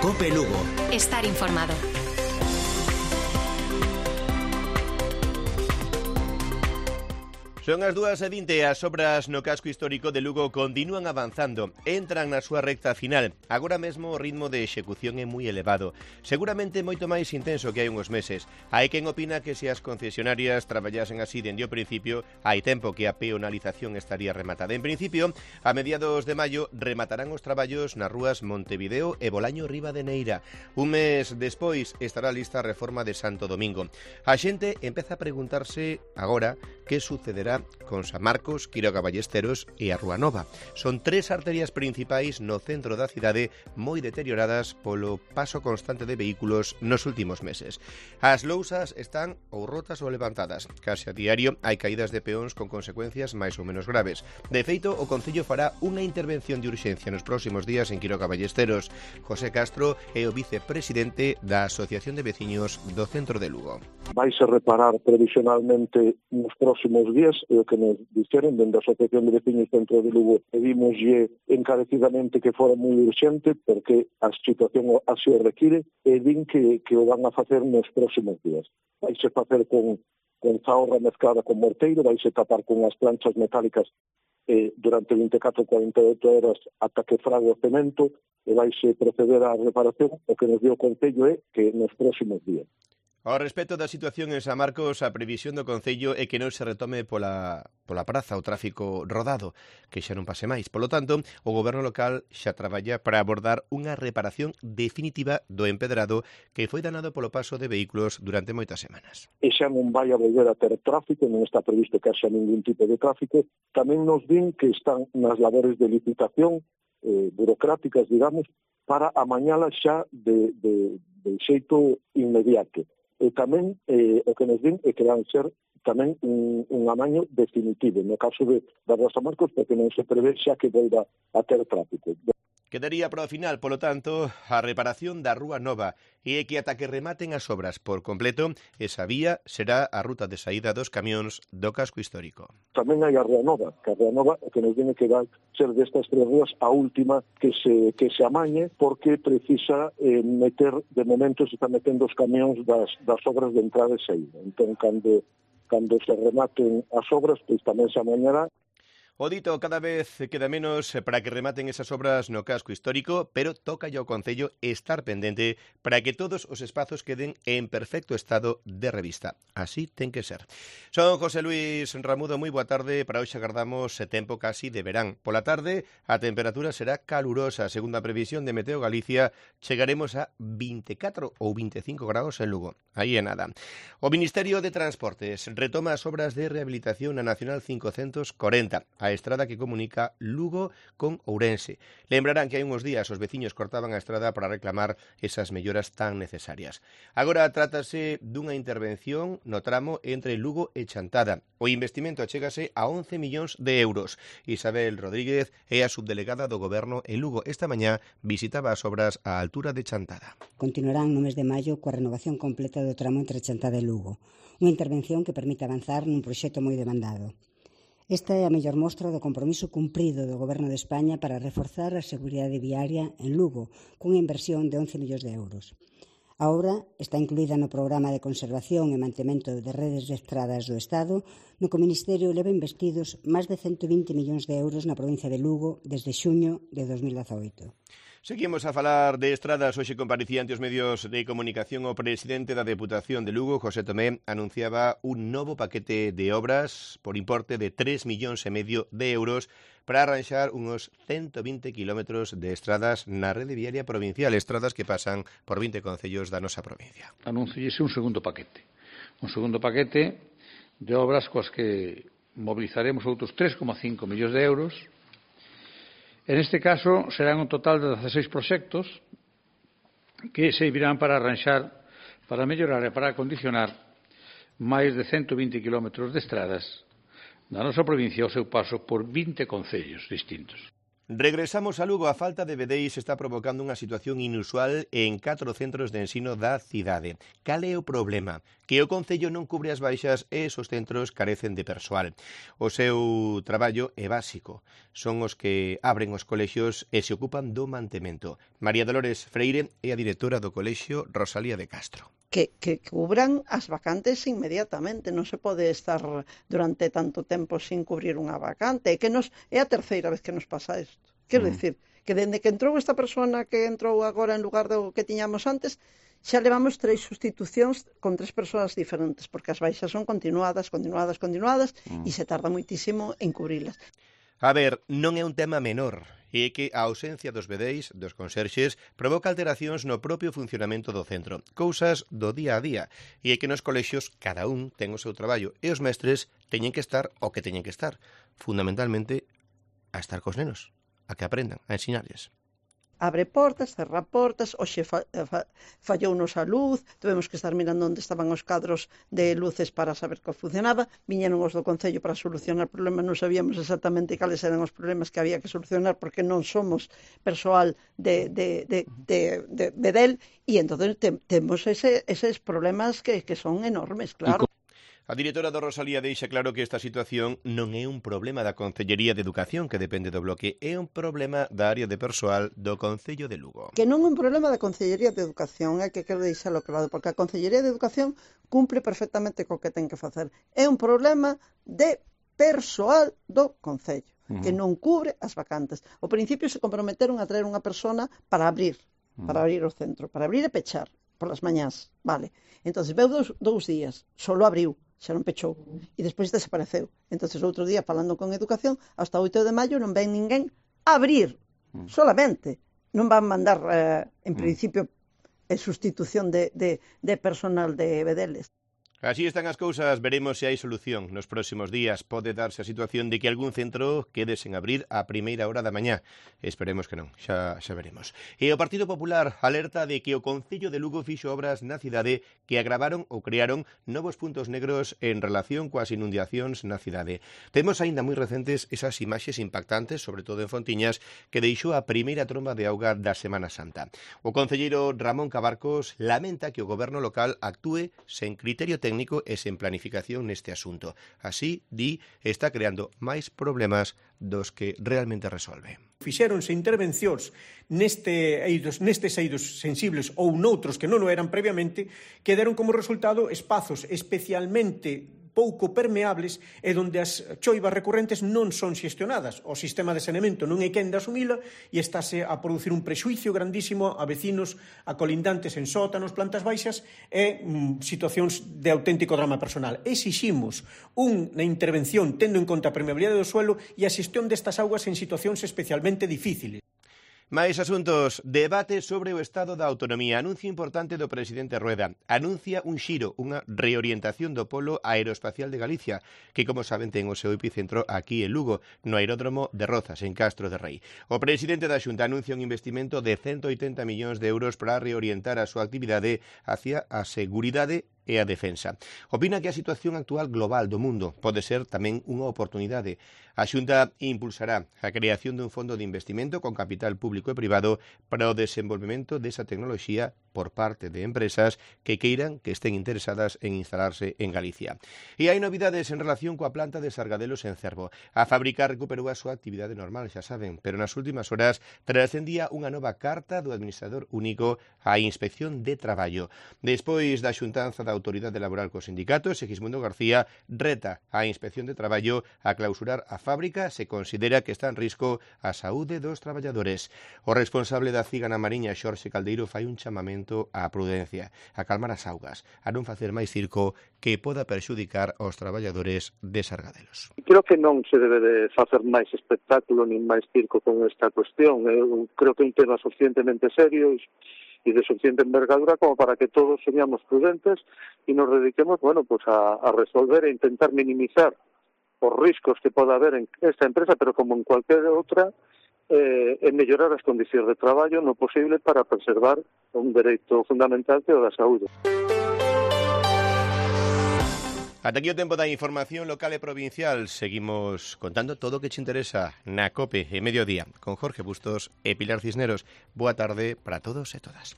COPE Lugo. Estar informado. Son as 2:20, as obras no casco histórico de Lugo continúan avanzando, entran na súa recta final. Agora mesmo o ritmo de execución é moi elevado, seguramente moito máis intenso que hai uns meses. Hai quen opina que se as concesionarias traballasen así dende o principio, hai tempo que a peonalización estaría rematada. En principio, a mediados de maio rematarán os traballos nas rúas Montevideo e Bolaño Ribadeneira. Un mes despois estará lista a reforma de Santo Domingo. A xente empeza a preguntarse agora que sucederá con San Marcos, Quiroga Ballesteros e a Rúa Nova. Son tres arterias principais no centro da cidade moi deterioradas polo paso constante de vehículos nos últimos meses. As lousas están ou rotas ou levantadas. Case a diario hai caídas de peóns con consecuencias máis ou menos graves. De feito, o Concello fará unha intervención de urxencia nos próximos días en Quiroga Ballesteros. José Castro é o vicepresidente da Asociación de Veciños do Centro de Lugo. Vais a reparar previsionalmente nos próximos días, e o que nos dixeron dende a Asociación de Veciños Centro de Lugo, pedimoslle encarecidamente que fora moi urxente porque a situación así o require, e din que o van a facer nos próximos días. Vaise facer con zaorra mezclada con morteiro, vaise tapar con as planchas metálicas durante 24-48 horas ata que frague o cemento, e vaise proceder á reparación. O que nos dio o Concello é que nos próximos días. Ao respecto da situación en San Marcos, a previsión do Concello é que non se retome pola praza o tráfico rodado, que xa non pase máis. Polo tanto, o goberno local xa traballa para abordar unha reparación definitiva do empedrado que foi danado polo paso de vehículos durante moitas semanas. E xa non vai a volver a ter tráfico, non está previsto que haxa ningún tipo de tráfico. Tamén nos din que están nas labores de licitación burocráticas, digamos, para amañalas xa de xeito inmediato. E tamén o que nos din é que van ser tamén un amaño definitivo no caso da San Marcos, porque non se prevé xa que volva a ter tráfico. Quedaría para o final, polo tanto, a reparación da Rúa Nova e que ata que rematen as obras por completo, esa vía será a ruta de saída dos camións do casco histórico. Tamén hai a Rúa Nova, que a Rúa Nova o que nos viene que vai ser destas tres rúas a última que se amañe, porque precisa meter, de momento se está metendo os camións das obras de entrada e saída. Entón, cando se rematen as obras, pois tamén se amañará. O dito cada vez queda menos para que rematen esas obras no casco histórico, pero toca ao Concello estar pendente para que todos os espazos queden en perfecto estado de revista. Así ten que ser. Son José Luis Ramudo, moi boa tarde. Para hoxe agardamos tempo casi de verán. Pola tarde a temperatura será calurosa. Segundo a previsión de Meteo Galicia, chegaremos a 24 ou 25 graus en Lugo. Aí é nada. O Ministerio de Transportes retoma as obras de rehabilitación na Nacional 540. A estrada que comunica Lugo con Ourense. Lembrarán que hai uns días os veciños cortaban a estrada para reclamar esas melloras tan necesarias. Agora trátase dunha intervención no tramo entre Lugo e Chantada. O investimento achégase a 11 millóns de euros. Isabel Rodríguez é a subdelegada do Goberno en Lugo. Esta mañá visitaba as obras á altura de Chantada. Continuarán no mes de maio coa renovación completa do tramo entre Chantada e Lugo. Unha intervención que permite avanzar nun proxecto moi demandado. Esta é a mellor mostra do compromiso cumprido do Goberno de España para reforzar a seguridade viaria en Lugo, cunha inversión de 11 millóns de euros. A obra está incluída no Programa de Conservación e Mantemento de Redes de Estradas do Estado, no que o Ministerio leva investidos máis de 120 millóns de euros na provincia de Lugo desde xuño de 2018. Seguimos a falar de estradas. Hoxe comparecía ante os medios de comunicación o presidente da Deputación de Lugo, José Tomé, anunciaba un novo paquete de obras por importe de 3,5 millóns de euros para arranxar unos 120 kilómetros de estradas na rede viaria provincial, estradas que pasan por 20 concellos da nosa provincia. Anunciese un segundo paquete de obras coas que mobilizaremos outros 3,5 millóns de euros. En este caso, serán un total de 16 proxectos que servirán para arranxar, para mellorar e para acondicionar máis de 120 kilómetros de estradas na nosa provincia ao seu paso por 20 concellos distintos. Regresamos a Lugo. A falta de vedeis está provocando unha situación inusual en 4 centros de ensino da cidade. Cal é o problema? Que o Concello non cubre as baixas e esos centros carecen de persoal. O seu traballo é básico. Son os que abren os colexios e se ocupan do mantemento. María Dolores Freire é a directora do colexio Rosalía de Castro. Que cubran as vacantes inmediatamente. Non se pode estar durante tanto tempo sin cubrir unha vacante. É a terceira vez que nos pasa isto. Quero dicir, que dende que entrou esta persona que entrou agora en lugar do que tiñamos antes, xa levamos 3 sustitucións con 3 persoas diferentes, porque as baixas son continuadas, e se tarda moitísimo en cubrilas. A ver, non é un tema menor, e que a ausencia dos vedeis, dos conserxes, provoca alteracións no propio funcionamento do centro, cousas do día a día, e é que nos colexios cada un ten o seu traballo, e os mestres teñen que estar o que teñen que estar, fundamentalmente a estar cos nenos, a que aprendan, a ensinarles. Abre portas, cerra portas, hoxe fallounos a luz, tuvemos que estar mirando onde estaban os cadros de luces para saber que funcionaba, viñeron os do Concello para solucionar problemas, non sabíamos exactamente cales eran os problemas que había que solucionar porque non somos persoal de Bedel, e entón temos eses problemas que son enormes, claro. A directora do Rosalía deixa claro que esta situación non é un problema da Concellería de Educación, que depende do bloque, é un problema da área de persoal do Concello de Lugo. Que non é un problema da Concellería de Educación, é que quero deixalo claro, porque a Concellería de Educación cumpre perfectamente co que ten que facer. É un problema de persoal do Concello, que non cubre as vacantes. Ao principio se comprometeron a traer unha persona para abrir o centro, para abrir e pechar polas mañás, vale. Entón, veu dous días, solo abriu, xa non pechou, e despois desapareceu. Entón, outro día, falando con Educación, hasta 8 de maio non ven ninguén a abrir, solamente. Non van mandar, en principio, sustitución de personal de Bedeles. Así están as cousas, veremos se hai solución. Nos próximos días pode darse a situación de que algún centro quede sen abrir a primeira hora da mañá. Esperemos que non, xa veremos. E o Partido Popular alerta de que o Concello de Lugo fixo obras na cidade que agravaron ou crearon novos puntos negros en relación coas inundacións na cidade. Temos aínda moi recentes esas imaxes impactantes, sobre todo en Fontiñas, que deixou a primeira tromba de auga da Semana Santa. O concelleiro Ramón Cabarcos lamenta que o goberno local actúe sen criterio técnico e sen planificación neste asunto. Así, di, está creando máis problemas dos que realmente resolve. Fixéronse intervencións nestes eidos sensibles ou noutros que non o eran previamente, que deron como resultado espazos especialmente pouco permeables e onde as choivas recurrentes non son xestionadas. O sistema de saneamento non é quen de asumila e estáse a producir un prexuicio grandísimo a vecinos, a colindantes en sótanos, plantas baixas e situacións de auténtico drama personal. Exiximos unha intervención tendo en conta a permeabilidade do suelo e a xestión destas augas en situacións especialmente difíciles. Máis asuntos. Debate sobre o estado da autonomía. Anuncio importante do presidente Rueda. Anuncia un xiro, unha reorientación do polo aeroespacial de Galicia, que, como saben, ten o seu epicentro aquí en Lugo, no aeródromo de Rozas, en Castro de Rei. O presidente da Xunta anuncia un investimento de 180 millóns de euros para reorientar a súa actividade hacia a seguridade e a defensa. Opina que a situación actual global do mundo pode ser tamén unha oportunidade. A Xunta impulsará a creación dun fondo de investimento con capital público e privado para o desenvolvemento desa tecnoloxía por parte de empresas que queiran que estén interesadas en instalarse en Galicia. E hai novidades en relación coa planta de Sargadelos en Cervo. A fábrica recuperou a súa actividade normal, xa saben, pero nas últimas horas trascendía unha nova carta do administrador único á Inspección de Traballo. Despois da xuntanza da Autoridade Laboral cos sindicatos, Segismundo García reta á Inspección de Traballo a clausurar a fábrica se considera que está en risco a saúde dos traballadores. O responsable da Cigana Mariña, Xorxe Caldeiro, fai un chamamento á prudencia, a calmar as augas, a non facer máis circo que poda perxudicar aos traballadores de Sargadelos. Creo que non se debe de facer máis espectáculo nin máis circo con esta cuestión. Eu creo que é un tema suficientemente serio e de suficiente envergadura como para que todos seamos prudentes e nos dediquemos, a resolver e intentar minimizar os riscos que poda haber en esta empresa, pero como en cualquier outra, e mellorar as condicións de traballo no posible para preservar un dereito fundamental que é o da saúde. Ata aquí o tempo da información local e provincial. Seguimos contando todo o que te interesa na COPE e Mediodía con Jorge Bustos e Pilar Cisneros. Boa tarde para todos e todas.